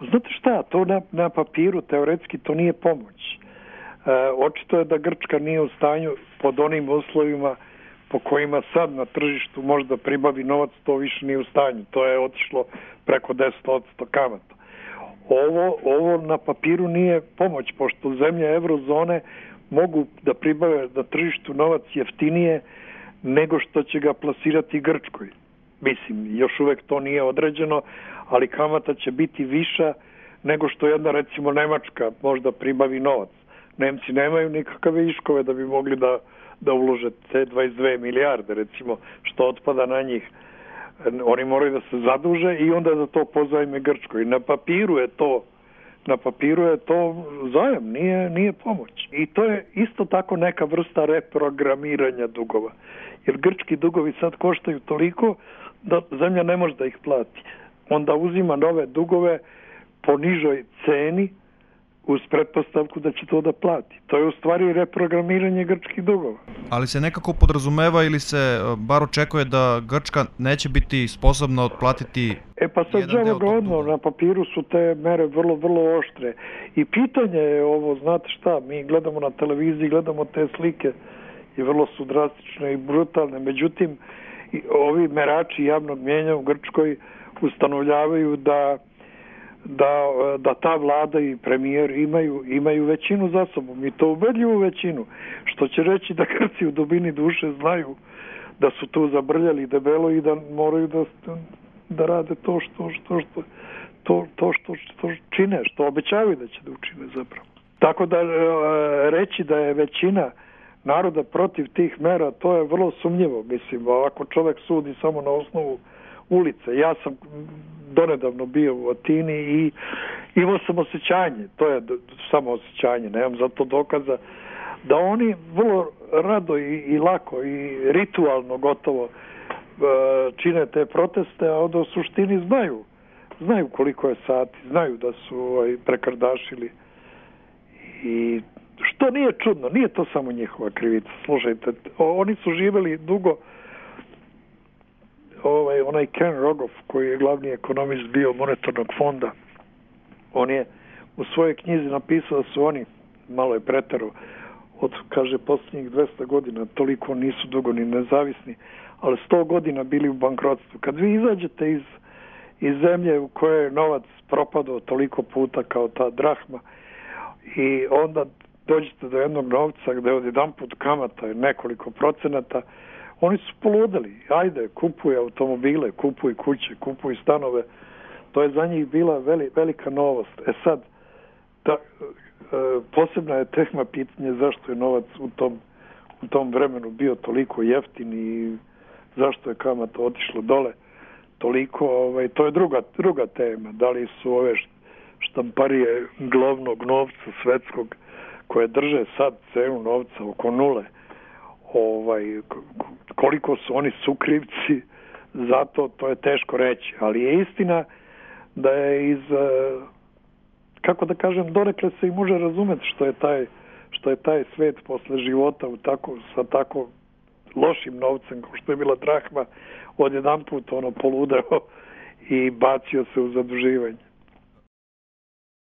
Znate šta, to na papiru teoretski to nije pomoć. Očito je da Grčka nije u stanju pod onim uslovima po kojima sad na tržištu možda pribavi novac, to više nije u stanju. To je otišlo preko 10% kamata. Ovo na papiru nije pomoć, pošto zemlje eurozone mogu da pribave na tržištu novac jeftinije nego što će ga plasirati Grčkoj. Mislim, još uvek to nije određeno, ali kamata će biti viša nego što jedna, recimo, Nemačka možda pribavi novac. Nemci nemaju nikakve viškove da bi mogli da ulože te 22 milijarde, recimo, što otpada na njih. Oni moraju da se zaduže i onda da to pozajme Grčkoj. Na papiru je to zajam, nije pomoć. I to je isto tako neka vrsta reprogramiranja dugova. Jer grčki dugovi sad koštaju toliko da zemlja ne može da ih plati. Onda uzima nove dugove po nižoj ceni uz pretpostavku da će to da plati. To je u stvari reprogramiranje grčkih dugova. Ali se nekako podrazumeva ili se bar očekuje da Grčka neće biti sposobna otplatiti pa sad žalogodno, na papiru su te mere vrlo, vrlo oštre. I pitanje je ovo, znate šta, mi gledamo na televiziji, gledamo te slike i vrlo su drastične i brutalne. Međutim, ovi merači javnog mnijenja u Grčkoj ustanovljavaju da ta vlada i premijer imaju većinu za sobom i to ubedljivu većinu, što će reći da Grci u dubini duše znaju da su tu zabrljali debelo i da moraju da rade to što čine, što obećavaju da će da učine zapravo. Tako da reći da je većina naroda protiv tih mera, to je vrlo sumnjivo. Mislim, ako čovjek sudi samo na osnovu ulice. Ja sam donedavno bio u Atini i imao sam osjećanje, to je samo osjećanje, nemam za to dokaza, da oni vrlo rado i lako i ritualno gotovo čine te proteste, a onda u suštini znaju koliko je sati, znaju da su prekardašili. I što nije čudno, nije to samo njihova krivica. Slušajte, oni su živjeli dugo. Onaj Ken Rogoff, koji je glavni ekonomist bio monetarnog fonda, on je u svojoj knjizi napisao da su oni, malo je preterao, kaže, posljednjih 200 godina, toliko nisu dugo ni nezavisni, ali 100 godina bili u bankrotstvu. Kad vi izađete iz zemlje u kojoj je novac propadao toliko puta kao ta drahma i onda dođete do jednog novca gde odjedanput kamata je nekoliko procenata, oni su poludeli. Ajde, kupuj automobile, kupuj kuće, kupuj stanove. To je za njih bila velika novost. Sad, posebna je tema pitanje zašto je novac u tom vremenu bio toliko jeftin i zašto je kamata otišla dole toliko. To je druga tema. Da li su ove štamparije glavnog novca svetskog koje drže sad cenu novca oko nule, koliko su oni sukrivci za to je teško reći, ali je istina da je kako da kažem, donekle se i može razumeti što je taj svet posle života sa tako lošim novcem kao što je bila drahma odjedanput poludeo i bacio se u zaduživanje.